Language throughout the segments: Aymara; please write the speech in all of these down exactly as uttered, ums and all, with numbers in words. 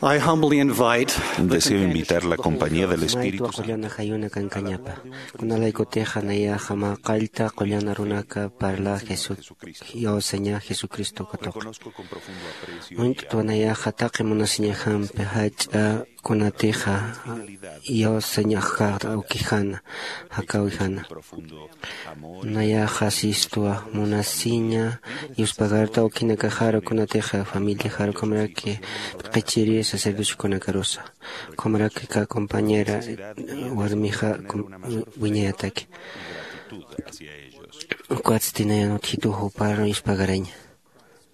I humbly invite the Deseo invitar la compañía del Espíritu Santo. Qullana jayuna kankañapa. Kunalaykutixa nayaxa mä qallta qullana runaka parla Jesús, iyawsaña Jesucristo katuqa. Uñt'twa nayaxa taqi munasiñajampi jach'a kunatixa iyawsañaxa ukijana, jakawijana. Nayaxa sistwa munasiña yuspagarta ukinakaxaru kunatixa familiaxaru ukhamaraki q'ichiri sacerdocio kunakarusa. Ukhamaraki ka compañera warmixa wiñayataki. Ukatsti nayan utjitu jupar yuspagaraña.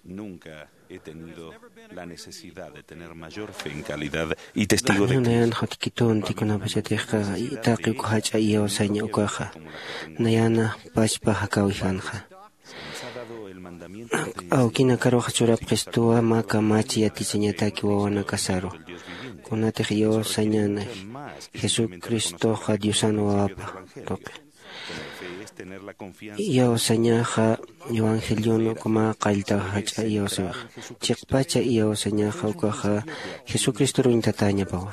Nunca he tenido la necesidad de tener mayor fe en calidad y testigo de Cristo. Nayan jutkitunti kunapachatixqa taqi uk jach'a iyawsaña ukaxa. Nayana pachpa jakawijanxa. Awkinakaruxa churapxistuwa mä kamachi yatichañataki wawanakasaru. Kunatix iyawsañana Jesucristoxa Diosan wawapa tuqi. Iyawsañaxa evangelion uk mä qallta jach'a iyawsawixa. Chiqpacha iyawsañaxa ukaxa Jesucristoru uñtatañapawa.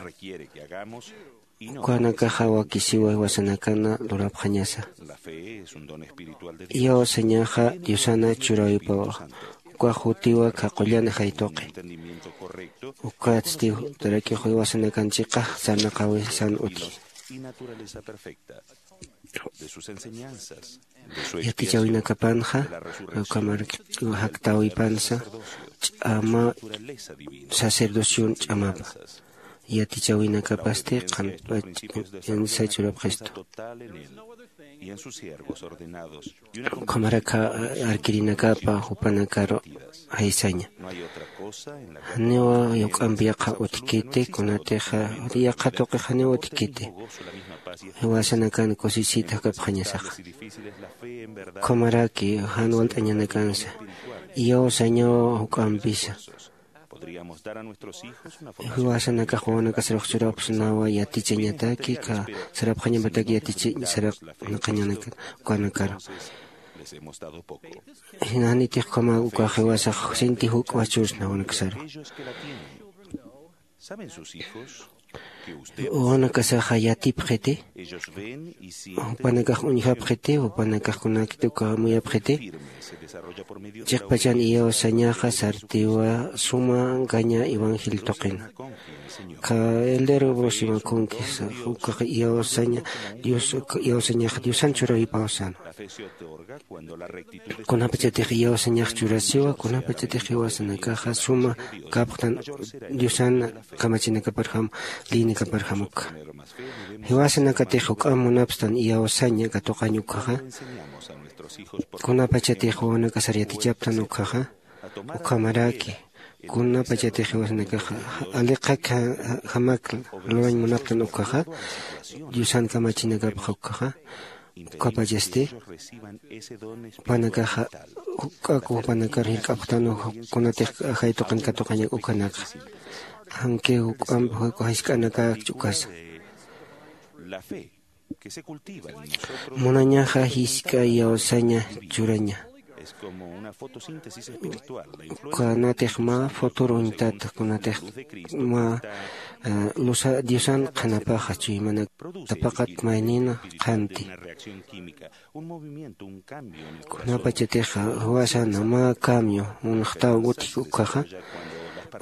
Ukanakaxa wakisiwa jiwasanakana lurapxañasa. Iyawsañaxa Diosana churawipawa. Ukax jutiwa kha qullana jaytuqi. Ukatsti tarakix jiwasanakan chiqa sarnaqawisan utji. Yatichawinakapanxa ukhamar jaktawipansa ch'ama sacerdocion ch'amapa. Yatichawinakapasti qanpach insa churapxistu. Ukhamaraka arkirinakapa jupanakaru jaysaña. Janiwa yuk'ampi yaqha utjkiti kunatixa yaqha tuqix janiwa utjkiti. Jiwasanakan kusisita jakapxañasaxa. Ukhamaraki jan walt'añanakansa iyawsañawa juk'ampisa. Jiwasanakax wawanakasarux churapxsnawa yatichañataki ka sarapxañapataki yatichañ sarapxañanakan ukanakaru. Janitix ukhama ukax jiwasax sinti juk'wa chursna wawanakasaru. Wawanakasaxa yatipxiti. Jupanakax uñjapxiti jupanakax kunakiti uka amuyapxiti. Chiqpachan iyawsañaxa sartiwa suma ankaña evangelio tuqina. Kha eldero brosimakunkisa ukax iyawsaña dios iyawsañaxa diosan churawipaw sano. Kunapachatix iyawsañax churasiwa kunapachatix jiwasanakaxa suma kapxtan diosan kamachinakaparjam lïnikaparjam ukha. Jiwasanakatix juk'am munapstan iyawsaña katuqañ ukhaxa. Kunapachatix wawanakasar yatichaptan ukhaxa. Ukhamaraki kunapachatix jiwasanakaxa aliqak jamak lurañ munaptan ukhaxa. Diosan kamachinakapxa ukhaxa. Ukapachasti jupanakaxa juk'aku jupanakar jirk'apxtanu kunatix ajay tuqin katuqañak ukanakxa. Janki juk'amp jisk'anakakch ukasa. Munañaxa jisk'a iyawsaña churaña. Kunatix mä futuro uñtata kunatix mä lusa diosan qhanapaxa chuymanak tapaqat maynina qhanti. Kunapachatix jiwasana mä cambio munxtaw utjki ukhaxa.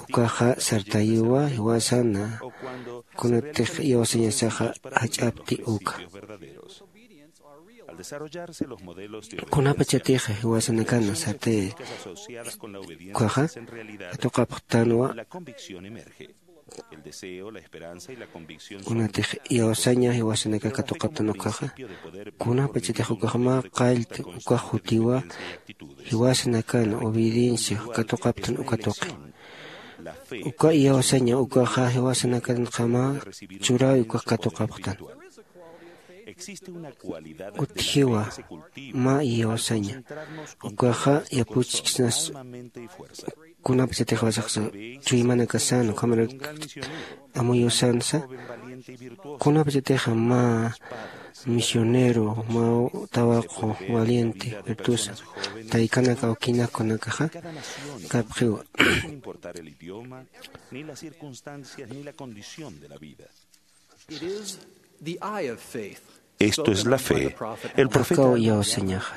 Ukaxa sartayiwa jiwasana kunatix iyawsañasaxa jach'apti uka. Kunapachatix jiwasanakana sartay ukhaxa katuqapxtanwa. Kunatix iyawsaña jiwasanaka katuqaptan ukaxa. Kunapachatix ukax mä qallta ukax jutiwa jiwasanakana obediencia katuqaptan uka tuqi. Uka iyawsaña ukaxa jiwasanakanxa mä churawi ukax katuqapxtan. Utjiwa mä iyawsaña. Ukaxa yapuchksnas kunapachatix wasaqsa chuymanakasan ukhamarak amuyusansa. Kunapachatix mä misionero mä tawaqu valiente virtusa taykanak awkinak kunakaxa kapxiwa. Ni las circunstancias ni la condición de la vida. Esto es la fe. El profeta iyawsañaxa.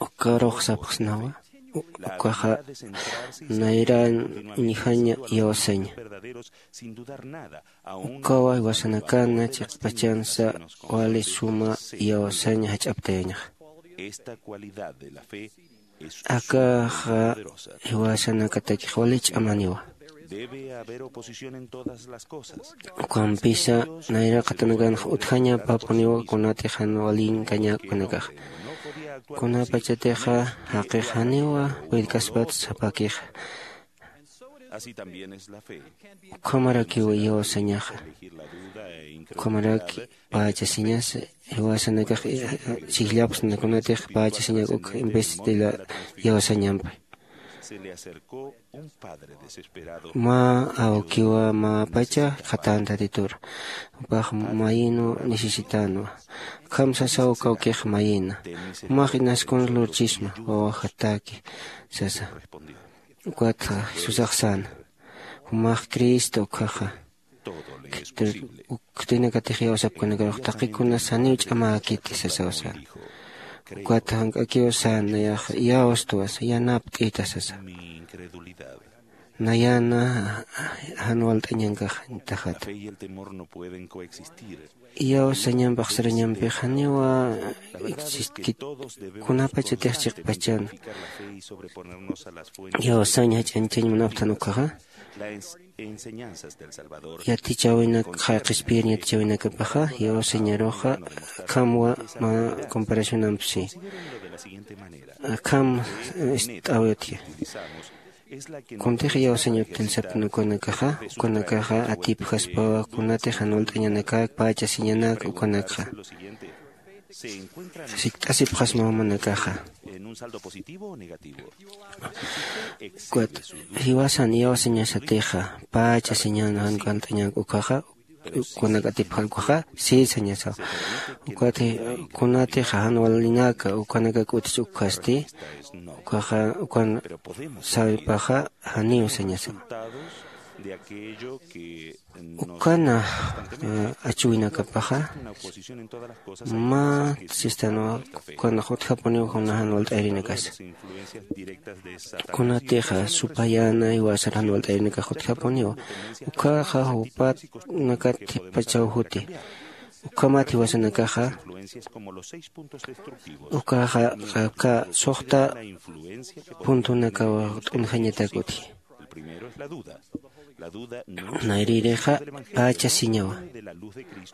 Ukarux sapxsnawa. Ukaxa nayran uñjaña iyawsaña. Ukawa jiwasanakana chiqpachansa wali suma iyawsaña jach'aptayañaxa. Akaxa jiwasanakatakix wali ch'amaniwa. Ukampisa nayraqatanakanxa utjañapapuniwa kunatix jan walinkañäk ukanakaxa. Kunapachatixa jaqix janiwa puedkaspat sapakixa. Ukhamarakiw iyawsañaxa. Ukhamaraki pachasiñas jiwasanakax chijllapxsna kunatix pachasiñak uk en vez de la iyawsañampi. Mä awkiwa mä pacha qhatantatitur jupax mayinu necesitanwa. Akham sasaw kawkix mayina jumax inaskun lurchisma wawajataki sasa. Ukat jesusax sana jumax cristo ukhaxa. Khtinakatix iyawsapkanakarux taqikunas janiw ch'amäkiti sasaw sana. Ukat jank'akiw sana nayaxa iyawstwas yanapt'ita sasa. Nayana jan walt'añankax tajata. Iyawsañamp axsarañampix janiwa existkit kunapachatix chiqpachan iyawsañ jach'añchañ munapxtan ukkhaxa. Yatichäwinak qhispiyir yatichäwinakapaxa iyawsañaruxa akhamwa mä comparacionampsi akham ist'äwitki. Kuntix iyawsañ utjilsapkna ukanakaxa ukanakaxa atipjaspawa kunatix jan walt'añanakak pachasiñanak ukanakxa sikt'asipxasma jumanakaxa. Ukat jiwasan iyawsañasatixa pachasiñan jan walt'añak ukaxa ukanak atipxar ukaxa si sañasaw. Ukat kunatixa jan walinaka ukanakak utjch ukkasti ukaxa ukan sawipaxa janiw sañasaw. Ukana achuwinakapaxa mä sistanwa ukanax utjapuniw juna jan walt'ayarinakasa. Kunatixa supayäna jiwasar jan walt'ayarinakax utjapuniwa. Ukkhaxa jupanakat thippachaw juti ukhamat jiwasanakaxa ukaxa aka suxta puntunakaw t'unjañatak utji. Nayrïrixa pachasiñawa.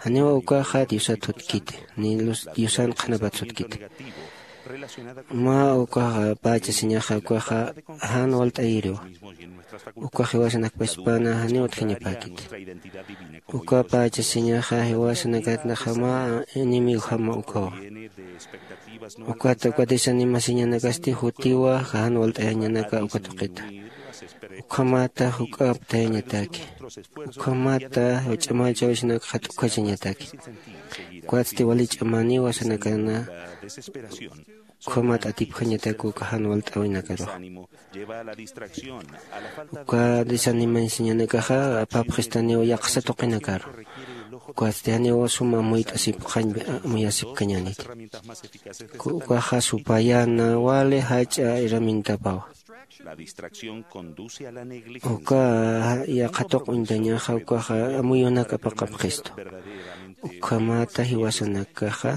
Janiwa ukaxa diosat sutkiti ni lus diosan qhanapat sutkiti. Mä ukaxa pachasiñaxa ukaxa jan walt'ayiriwa. Ukax jiwasanakpaspana janiw utjañapäkiti. Uka pachasiñaxa jiwasanakatnaxa mä enemigojama ukawa. Ukata uka desanimasiñanakasti jutiwa jan walt'ayañanaka uka tuqita. Ukhamata juk'aptayañataki. Ukhamata ch'amachawisinakxa t'ukhachañataki. Ukatsti wali ch'amaniwa sanakana. Ukhamat atipjañatak uka jan walt'äwinakarux. Uka desanimasiñanakaxa apapxistaniw yaqsa tuqinakaru. Ukatsti janiw suma muyt'asipxañ muyasipkañäniti. Ukaxa supayäna wali jach'a herramientapawa. Uka yaqha tuq uñtañaxa ukaxa amuyunak apaqapxistu. Ukhamata jiwasanakaxa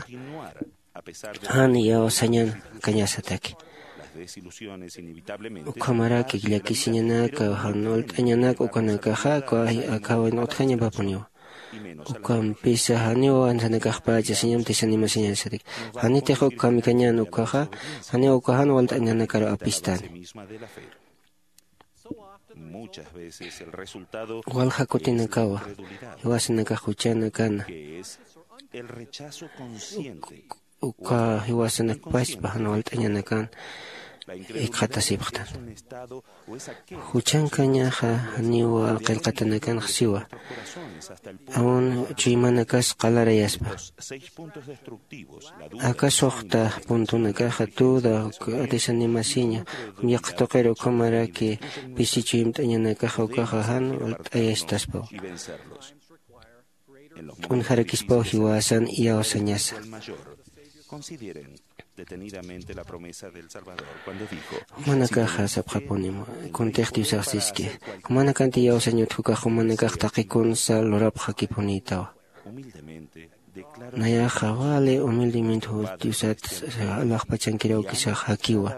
jan iyawsañan kañasataki. Ukhamaraki llakisiñanaka jan walt'añanaka ukanakaxa uka akhawin utjañapapuniwa. Ukampisa janiw ansanakax pachasiñam tisanimasiñasataki. Janitix uk kamikañän ukaxa janiw uka jan walt'añanakaru apistani. Walja kutinakawa jiwasanakax juchanakana uka jiwasanakpaspa jan walt'añanakan jikxatasipxtan. Juchankañaxa janiwa qillqatanakanxa siwa aun chuymanakas qalarayaspa. Aka suxta puntunakaxa duda uk desanimasiña yaqha tuqir ukhamaraki pisi chuymt'añanakaxa ukaxa jan walt'ayastaspaw. T'unjarakispaw jiwasan iyawsañasa. Jumanakaxa sapxapunim kuntix diosax siski jumanakanti iyawsañ utjukax jumanakax taqi kunsa lurapxakipunïtawa. Nayaxa wali humildemente diosat alaxpachankirawkisax jakiwa.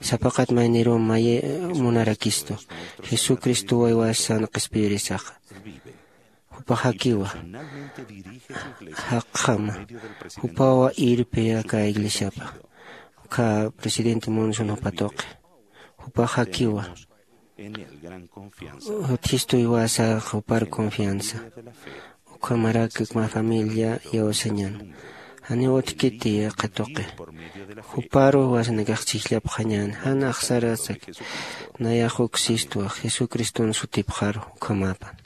Sapaqat mayniruw mayi munarakistu jesucristo waywasan qhispiyirisaxa. Jupax jakiwa jaqjama jupawa irpi aka iglesiapa ukha presidente monson jupa tuqi. Jupax jakiwa utjistuywasa jupar confianza ukhamarak mä familia iyawsañan. Janiw utjkiti qhatuqi juparu jiwasanakax chhijllapxañän jan axsarasaki. Nayax uk sistwa jesucriston sutipxaru ukhamapan.